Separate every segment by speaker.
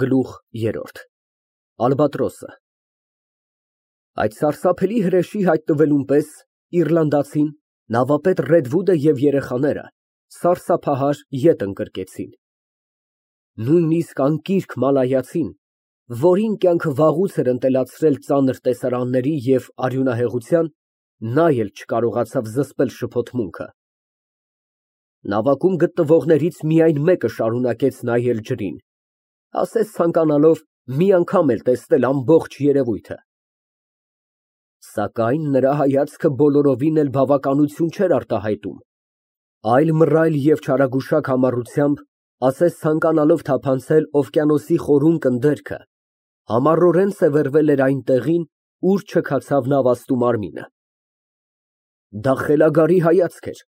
Speaker 1: Գլուխ երրորդ Ալբատրոսը Այդ սարսափելի հրեշի հայտնվելուն պես իռլանդացին, նավապետ Ռեդվուդը և երեխաները սարսափահար ետ ընկրկեցին։ Նույնիսկ անկիրք մալայացին, որին կյանքը վաղուց էր ընտելացրել ծանր տեսարանների և արյունահեղության, նա էլ չկարողացավ զսպել շփոթմունքը։ Նավակում գտնվողներից միայն մեկը շարունակեց նայել ջրին, ասես ցանկանալով մի անգամ էլ տեսնել ամբողջ երևույթը։ Սակայն նրա հայացքը բոլորովին էլ բավականություն չէր արտահայտում, այլ մռայլ և չարագուշակ համառությամբ, ասես ցանկանալով թափանցել օվկիանոսի խորուն կնդերքը, համառորեն սևեռվել էր այն տեղին, ուր չքացավ նավաստու մարմինը։ Դա խելագարի հայացք էր,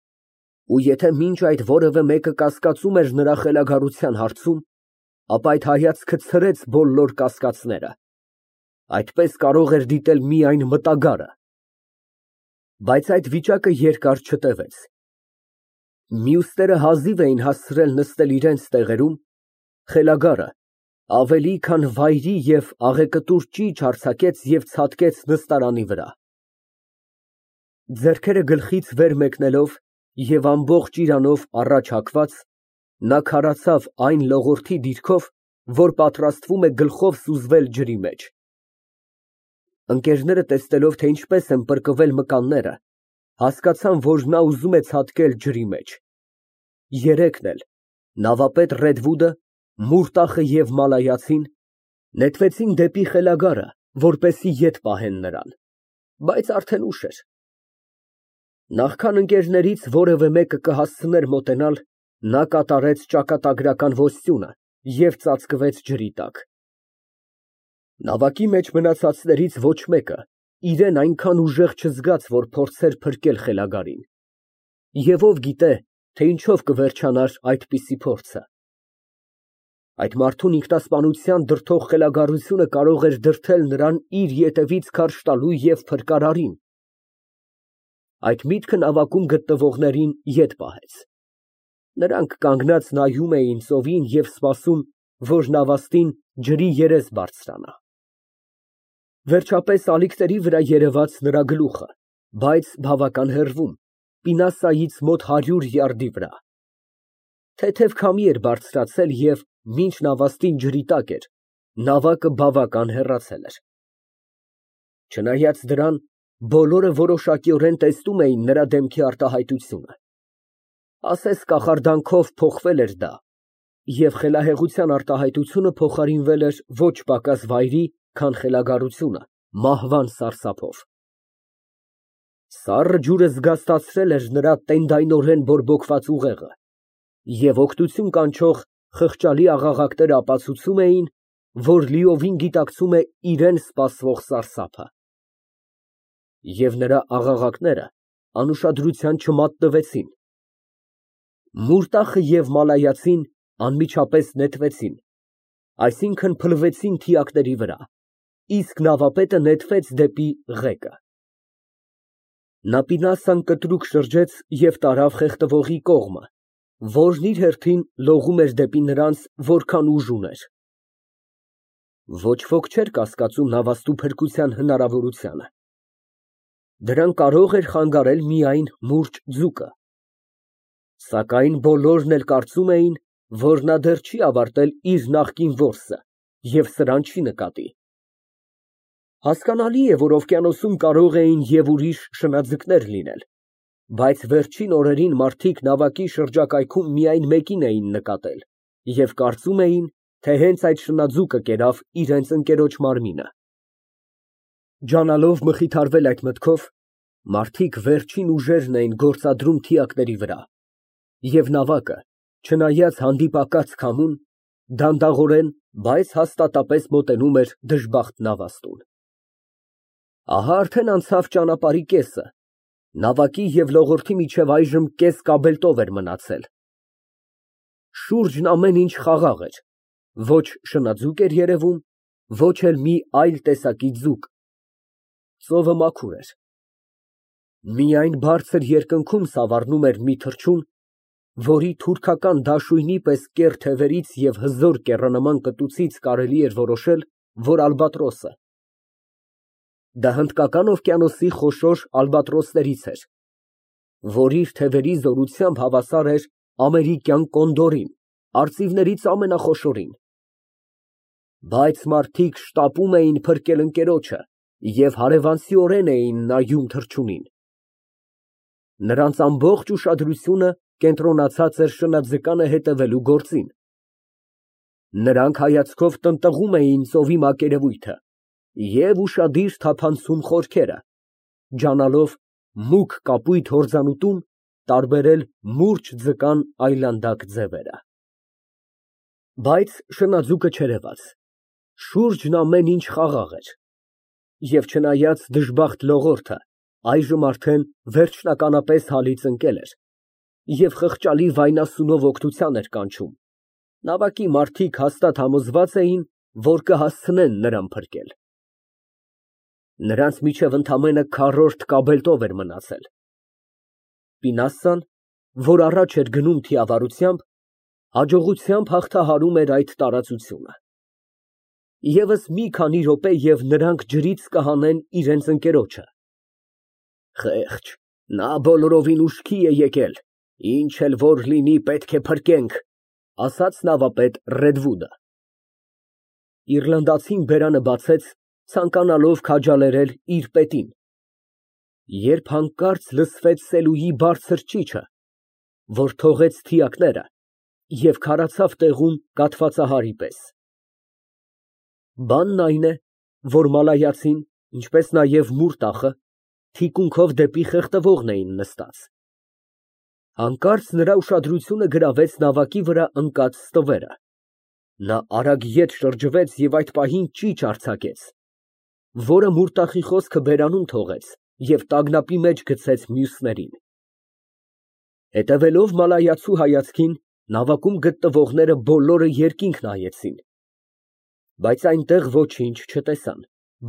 Speaker 1: ու եթե մինչ այդ որևէ մեկը կասկածում էր նրա խելագարության հարցում, ապա այդ հայացքը ցրեց բոլոր կասկածները։ Այդպես կարող էր դիտել միայն մտագարը։ Բայց այդ վիճակը երկար չտևեց։ Մյուսները հազիվ էին հասցրել նստել իրենց տեղերում, խելագարը ավելի քան վայրի և աղեկտուր ճիչ արձակեց և ցատկեց նստարանի վրա։ Ձեռքերը գլխից վեր մեկնելով և ամբողջ իրանով առաջ հագված, նա քարացավ այն լողորդի դիրքով, որ պատրաստվում է գլխով սուզվել ջրի մեջ։ Ընկերները, տեսնելով, թե ինչպես են պրկվել մկանները, հասկացան, որ նա ուզում է ցատկել ջրի մեջ։ Երեքն էլ, նավապետ Ռեդվուդը, Մուրտախը և մալայացին, նետվեցին դեպի խելագարը, որպեսզի ետ պահեն նրան, բայց արդեն ուշ էր։ Նախքան ընկերներից որևէ մեկը կհասցներ մոտենալ, նա կատարեց ճակատագրական ոստյունը և ծածկվեց ջրի տակ։ Նավակի մեջ մնացածներից ոչ մեկը իրան այնքան ուժեղ չզգաց, որ փորձեր փրկել խելագարին։ Եվ ով գիտե, թե ինչով կվերջանար այդպիսի փորձը։ Այդ մարդուն ինքնասպանության դրդող խելագարությունը կարող էր դրդել նրան իր ետևից քարշ տալու և փրկարարին։ Այդ միտքը նավակում գտնվողներին ետ պահեց։ Նրանք կանգնած նայում էին ծովին և սպասում, որ նավաստին ջրի երես բարձրանա։ Վերջապես ալիքների վրա երևաց նրա գլուխը, բայց բավական հեռվում, պինասայից մոտ 100 յարդի վրա։ Թեթև քամի էր բարձրացել և, մինչ նավաստին ջրի տակ էր, նավակը բավական հեռացել էր։ Չնայած դրան, բոլորը որոշակիորեն տեսնում էին նրա դեմքի արտահայտությունը։ Ասես կախարդանքով փոխվել էր դա, և խելահեղության արտահայտությունը փոխարինվել էր ոչ պակաս վայրի, քան խելագարությունը, մահվան սարսափով։ Սառը ջուրը զգաստացրել էր նրա տենդայնորեն բորբոքված ուղեղը, և օգնություն կանչող խղճալի աղաղակները ապացուցում էին, որ լիովին գիտակցում է իրան սպասվող սարսափը։ Եվ նրա աղաղակները անուշադրության չմատնվեցին։ Մուրտախը և մալայացին անմիջապես նետվեցին, այսինքն փլվեցին թիակների վրա, իսկ նավապետը նետվեց դեպի ղեկը։ Նա պինասան կտրուկ շրջեց և տարավ խեղդվողի կողմը, որն իր հերթին լողում էր դեպի նրանց, որքան ուժ ուներ։ Ոչ ոք չէր կասկածում նավաստու փրկության հնարավորությանը։ Դրան կարող էր խանգարել միայն մուրճ ձուկը։ Սակայն բոլորն էլ կարծում էին, որ նա դեռ չի ավարտել իր նախկին որսը և սրան չի նկատի։ Հասկանալի է, որ օվկիանոսում կարող էին և ուրիշ շնաձկներ լինել, բայց վերջին օրերին մարդիկ նավակի շրջակայքում միայն մեկին էին նկատել և կարծում էին, թե հենց այդ շնաձուկը կերավ իրենց ընկերոջ մարմինը։ Ջանալով մխիթարվել այդ մտքով, մարդիկ վերջին ուժերն էին գործադրում թիակների վրա, և նավակը, չնայած հանդիպակաց քամուն, դանդաղորեն, բայց հաստատապես մոտենում էր դժբախտ նավաստուն։ Ահա արդեն անցավ ճանապարհի կեսը, նավակի և լողորդի միջև այժմ կես կաբելտով էր մնացել։ Շուրջն ամեն ինչ խաղաղ էր, ոչ շնաձուկ էր երևում, ոչ էլ մի այլ տեսակի ձուկ։ Ծովը մաքուր էր։ Միայն բարձր երկնքում սավառնում էր մի թռչուն, որի թուրքական դաշույնի պես կեռ թևերից և հզոր կեռանման կտուցից կարելի էր որոշել, որ ալբատրոս է։ Դա Հնդկական օվկիանոսի խոշոր ալբատրոսներից էր, որ իր թևերի զորությամբ հավասար էր ամերիկյան կոնդորին, արծիվներից ամենախոշորին։ Բայց մարդիկ շտապում էին փրկել ընկերոջը և հարևանցիորեն էին նայում թռչունին։ Նրանց ամբողջ ուշադրությունը կենտրոնացած էր շնաձկանը հետևելու գործին։ Նրանք հայացքով տնտղում էին ծովի մակերևույթը և ուշադիր թափանցում խորքերը, ջանալով մուգ կապույտ հորձանուտում տարբերել մուրջ ձկան այլանդակ ձևերը։ Բայց շնաձուկը չերևաց, շուրջն ամեն ինչ խաղաղ էր, և չնայած դժբախտ լողորդը այժմ արդեն վերջնականապես հալից ընկել էր և խղճալի վայնասունով օգնության էր կանչում, նավակի մարդիկ հաստատ համոզված էին, որ կհասցնեն նրան փրկել։ Նրանց միջև ընդամենը քառորդ կաբելտով էր մնացել։ Պինասան, որ առաջ էր գնում թիավարությամբ, հաջողությամբ հաղթահարում էր այդ տարածությունը։ Եվս մի քանի րոպե և նրանք ջրից կհանեն իրենց ընկերոջը։ Խեղճ, նա բոլորովին ուշքի է եկել, ինչ էլ որ լինի, պետք է փրկենք, ասաց նավապետ Ռեդվուդը։ Իռլանդացին բերանը բացեց, ցանկանալով քաջալերել իր պետին, երբ հանկարծ լսվեց Սելուի բարձր ճիչը, որ թողեց թիակները և քարացավ տեղում կաթվածահարի պես։ Բանն այն է, որ մալայացին, ինչպես նաև Մուրտախը, թիկունքով դեպի խեղդվողն էին նստած։ Հանկարծ նրա ուշադրությունը գրավեց նավակի վրա ընկած ստվերը։ Նա արագ ետ շրջվեց և այդ պահին ճիչ արձակեց, որը Մուրտախի խոսքը բերանում թողեց և տագնապի մեջ գցեց մյուսներին։ Հետևելով մալայացու հայացքին, նավակում գտնվողները բոլորը երկինք նայեցին, բայց այնտեղ ոչինչ չտեսան,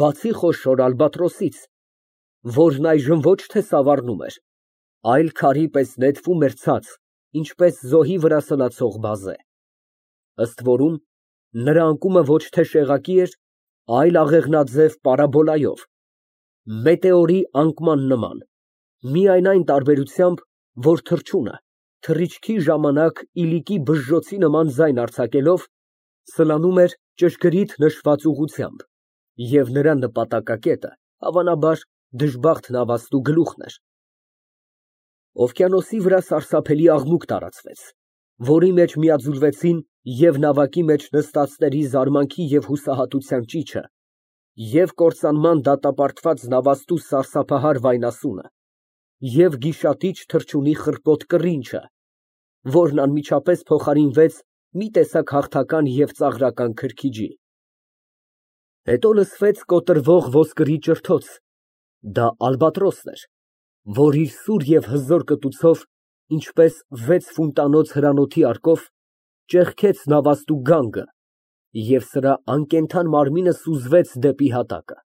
Speaker 1: բացի խոշոր ալբատրոսից, որն այժմ ոչ թե սավառնում էր, այլ քարի պես նետվում էր ցած, ինչպես զոհի վրա սլացող բազե։ Ըստ որում, նրա անկումը ոչ թե շեղակի էր, այլ աղեղնաձև պարաբոլայով, մետեորի անկման նման, միայն այն տարբերությամբ, որ թռչունը, թռիչքի ժամանակ իլիկի բժժոցի նման ձայն արձակելով, սլանում էր ճշգրիտ նշված ուղղությամբ, և նրա նպատակակետը, հավանաբար, դժբախտ նավաստու գլուխն էր։ Օվկիանոսի վրա սարսափելի աղմուկ տարածվեց, որի մեջ միաձուլվեցին և նավակի մեջ նստածների զարմանքի և հուսահատության ճիչը, և կործանման դատապարտված նավաստու սարսափահար վայնասունը, և գիշատիչ թռչունի խռպոտ կռինչը, որն անմիջապես փոխարինվեց մի տեսակ հաղթական և ծաղրական քրքիջի։ Հետո լսվեց կոտրվող ոսկրի ճրթոց, դա ալբատրոսն էր, որ իր սուր և հզոր կտուցով, ինչպես 6 ֆուտանոց հրանոթի արկով, ճեղքեց նավաստու գանգը, և սրա անկենդան մարմինը սուզվեց դեպի հատակը։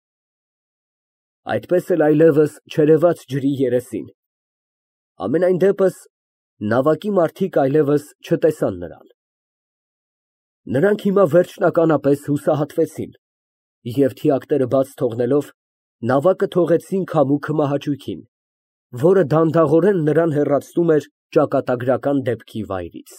Speaker 1: Այդպես էլ այլևս չերևաց ջրի երեսին։ Համենայն դեպս, նավակի մարդիկ այլևս չտեսան նրան։ Նրանք հիմա վերջնականապես հուսահատվեցին և, թիակները բաց թողնելով, նավակը թողեցին քամու մահաճույքին, որը դանդաղորեն նրան հեռացնում էր ճակատագրական դեպքի վայրից։